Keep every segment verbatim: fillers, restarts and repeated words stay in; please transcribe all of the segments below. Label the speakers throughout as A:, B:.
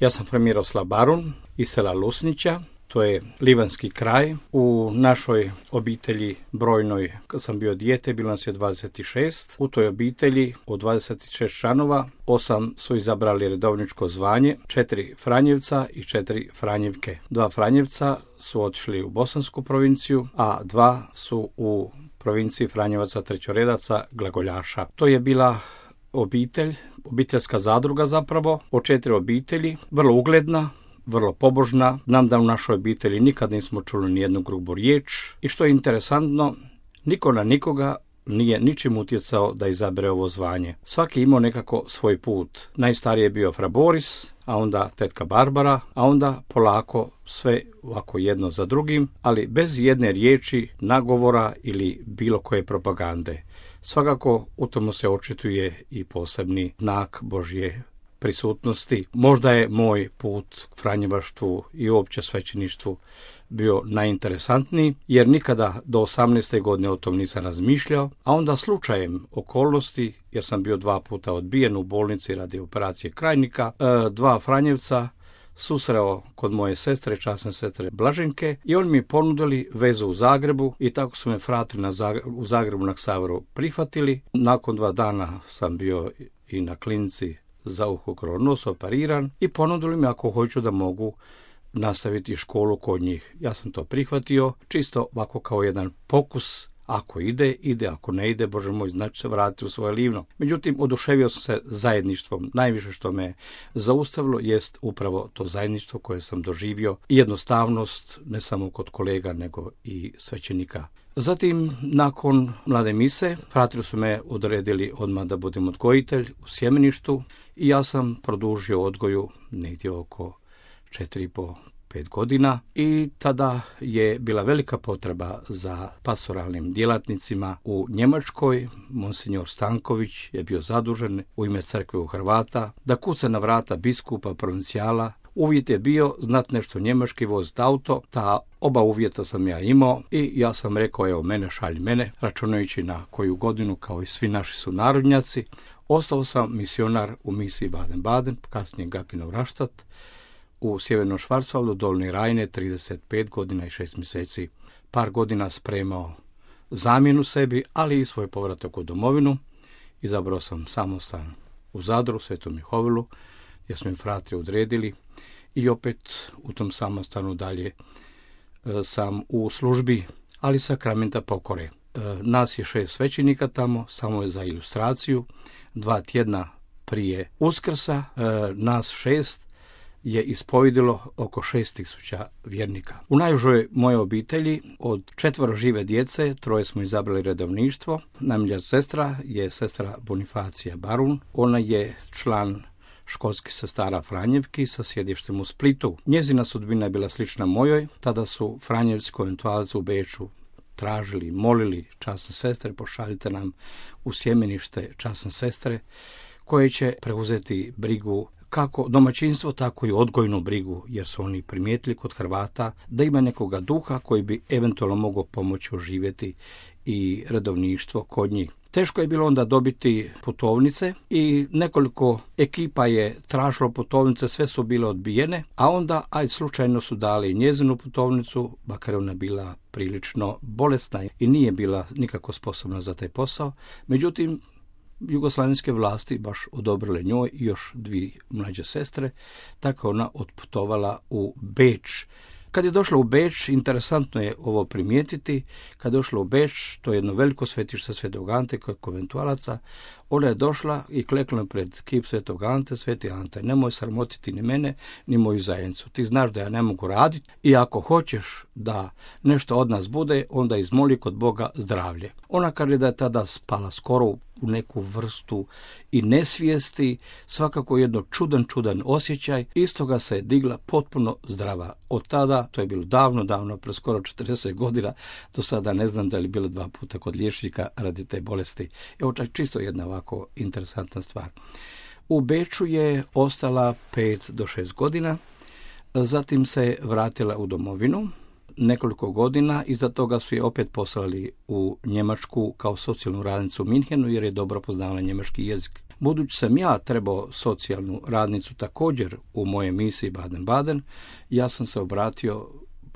A: Ja sam fra Miroslav Barun iz sela Lusnića, to je livanski kraj. U našoj obitelji brojnoj, kad sam bio dijete, bilo nas je dvadeset šest. U toj obitelji od dvadeset šest članova, osam su izabrali redovničko zvanje, četiri Franjevca i četiri Franjevke. Dva Franjevca su otišli u Bosansku provinciju, a dva su u provinciji Franjevaca trećoredaca glagoljaša. To je bila obitelj, obiteljska zadruga zapravo, od četiri obitelji, vrlo ugledna, vrlo pobožna. Znam da u našoj obitelji nikad nismo čuli ni jednu grubu riječ i što je interesantno, niko na nikoga nije ničim utjecao da izabere ovo zvanje. Svaki imao nekako svoj put. Najstariji je bio fra Boris, a onda tetka Barbara, a onda polako sve ovako jedno za drugim, ali bez jedne riječi, nagovora ili bilo koje propagande. Svakako u tomu se očituje i posebni znak Božje prisutnosti. Možda je moj put k franjevaštvu i uopće svećeništvu bio najinteresantniji, jer nikada do osamnaeste godine o tom nisam razmišljao, a onda slučajem okolnosti, jer sam bio dva puta odbijen u bolnici radi operacije krajnika, dva Franjevca susreo kod moje sestre, časne sestre Blaženke, i oni mi ponudili vezu u Zagrebu i tako su me frati na Zagreb, u Zagrebu na Ksavru prihvatili. Nakon dva dana sam bio i na klinici za uho, krov, nos operiran i ponudili mi ako hoću da mogu nastaviti školu kod njih. Ja sam to prihvatio, čisto ovako kao jedan pokus. Ako ide, ide, ako ne ide, Bože moj, znači se vratiti u svoje livno. Međutim, oduševio sam se zajedništvom. Najviše što me zaustavilo jest upravo to zajedništvo koje sam doživio i jednostavnost, ne samo kod kolega, nego i svećenika. Zatim, nakon mlade mise, fratri su me odredili odmah da budem odgojitelj u sjemeništu i ja sam produžio odgoju negdje oko četiri i po pet godina i tada je bila velika potreba za pastoralnim djelatnicima u Njemačkoj. Monsignor Stanković je bio zadužen u ime crkve u Hrvata da kuca na vrata biskupa provincijala. Uvjet je bio znat nešto njemački, voziti auto, ta oba uvjeta sam ja imao i ja sam rekao, evo mene, šalj mene, računajući na koju godinu, kao i svi naši sunarodnjaci. Ostao sam misionar u misiji Baden-Baden, kasnije Gakinov Raštat, u Sjevernom Švarcvaldu, Dolni Rajne, trideset pet godina i šest mjeseci. Par godina spremao zamjenu sebi, ali i svoj povratak u domovinu. Izabrao sam samostan u Zadru, Svetom Mihovilu, gdje su mi fratri odredili i opet u tom samostanu dalje e, sam u službi, ali sakramenta pokore. E, nas je šest svećenika tamo, samo je za ilustraciju. Dva tjedna prije Uskrsa e, nas šest je ispovedilo oko šest tisuća vjernika. U najužoj moje obitelji od četvoro žive djece, troje smo izabrali redovništvo. Najmilja sestra je sestra Bonifacija Barun. Ona je član školskih sestara Franjevki sa sjedištem u Splitu. Njezina sudbina je bila slična mojoj. Tada su Franjevci konventualci u Beču tražili, molili časne sestre, pošaljite nam u sjemenište časne sestre koje će preuzeti brigu kako domaćinstvo, tako i odgojnu brigu, jer su oni primijetili kod Hrvata da ima nekoga duha koji bi eventualno mogao pomoći oživjeti i redovništvo kod njih. Teško je bilo onda dobiti putovnice i nekoliko ekipa je tražilo putovnice, sve su bile odbijene, a onda aj slučajno su dali njezinu putovnicu, makar ona bila prilično bolesna i nije bila nikako sposobna za taj posao. Međutim, jugoslavenske vlasti baš odobrile njoj i još dvije mlađe sestre, tako ona otputovala u Beč. Kad je došla u Beč, interesantno je ovo primijetiti, kad je došla u Beč, to je jedno veliko svetište Svetog Ante koje je konventualaca, ona je došla i klekla pred kip Svetog Ante, Sveti Ante, nemoj sramotiti ni mene, ni moju zajednicu. Ti znaš da ja ne mogu raditi i ako hoćeš da nešto od nas bude, onda izmoli kod Boga zdravlje. Ona kaže da je tada spala skoro u neku vrstu i nesvijesti, svakako jedno čudan, čudan osjećaj. Istoga se je digla potpuno zdrava. Od tada, to je bilo davno, davno, pre skoro četrdeset godina, do sada ne znam da li bilo dva puta kod liječnika radi te bolesti. Evo čak čisto jedna ovako interesantna stvar. U Beču je ostala pet do šest godina, zatim se vratila u domovinu. Nekoliko godina, iza toga su je opet poslali u Njemačku kao socijalnu radnicu u Minhenu jer je dobro poznavala njemački jezik. Budući sam ja trebao socijalnu radnicu također u mojoj misiji Baden-Baden, ja sam se obratio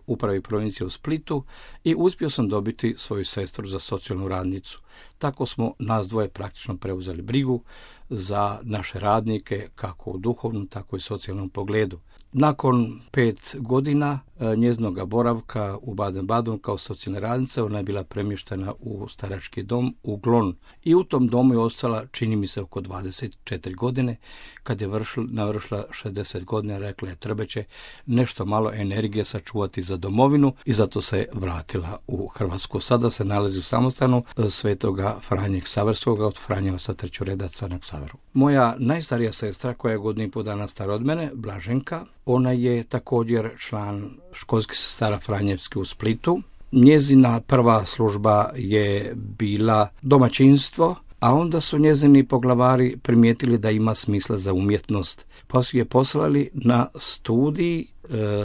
A: upravi provincije u Splitu i uspio sam dobiti svoju sestru za socijalnu radnicu. Tako smo nas dvoje praktično preuzeli brigu za naše radnike, kako u duhovnom, tako i socijalnom pogledu. Nakon pet godina njezinog boravka u Baden-Badenu kao socijalna radnica, ona je bila premještena u starački dom u Glon. I u tom domu je ostala, čini mi se, oko dvadeset četiri godine. Kad je vršil, navršila šezdeset godina, rekla je treba će nešto malo energije sačuvati za domovinu i zato se vratila u Hrvatsku. Sada se nalazi u samostanu Svetoga Franje Ksaverskoga od Franjeva sa Trećoredaca na Ksaveru. Moja najstarija sestra, koja je godinu i pol dana stara od mene, Blaženka, ona je također član školskih sestara Franjevske u Splitu. Njezina prva služba je bila domaćinstvo, a onda su njezini poglavari primijetili da ima smisla za umjetnost, pa su je poslali na studij e,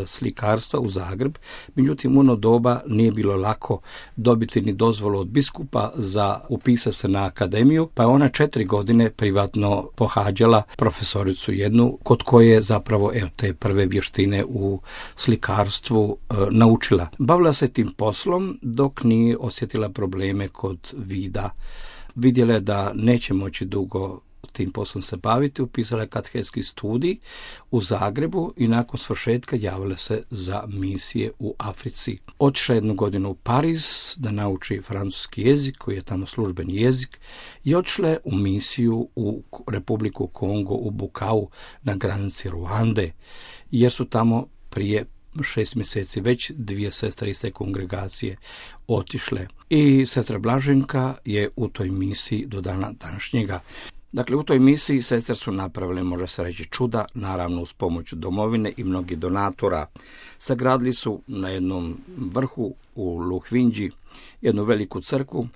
A: slikarstva u Zagreb. Međutim, u ono doba nije bilo lako dobiti ni dozvolu od biskupa za upisati se na akademiju, pa je ona četiri godine privatno pohađala profesoricu jednu, kod koje je zapravo evo, te prve vještine u slikarstvu e, naučila. Bavila se tim poslom dok nije osjetila probleme kod vida. Vidjela je da neće moći dugo tim poslom se baviti, upisala je katehetski studij u Zagrebu i nakon svršetka javila se za misije u Africi. Otišla jednu godinu u Pariz da nauči francuski jezik, koji je tamo službeni jezik, i otišla je u misiju u Republiku Kongo, u Bukavu, na granici Ruande, jer su tamo prije šest mjeseci već dvije sestre iz te kongregacije otišle. I sestra Blaženka je u toj misiji do dana današnjega. Dakle, u toj misiji sestre su napravile, može se reći, čuda, naravno uz pomoć domovine i mnogih donatora. Sagradili su na jednom vrhu u Luhvindži jednu veliku crkvu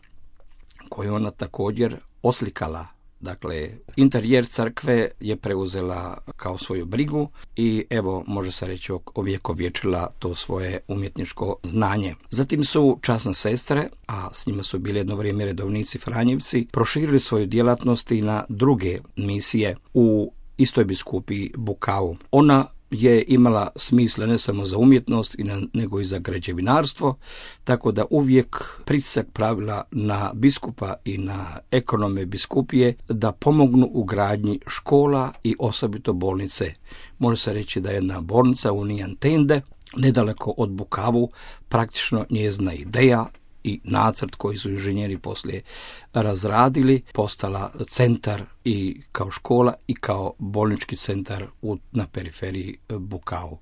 A: koju ona također oslikala. Dakle, interijer crkve je preuzela kao svoju brigu i evo, može se reći, ovjekovječila to svoje umjetničko znanje. Zatim su časne sestre, a s njima su bili jedno vrijeme redovnici Franjevci, proširili svoju djelatnost i na druge misije u istoj biskupiji Bukavu. Ona je imala smisla ne samo za umjetnost, nego i za građevinarstvo, tako da uvijek pritisak pravila na biskupa i na ekonome biskupije da pomognu u gradnji škola i osobito bolnice. Može se reći da je jedna bolnica u Nijantende, nedaleko od Bukavu, praktično njezina ideja i nacrt koji su inženjeri poslije razradili, postala centar i kao škola i kao bolnički centar u, na periferiji Bukavu.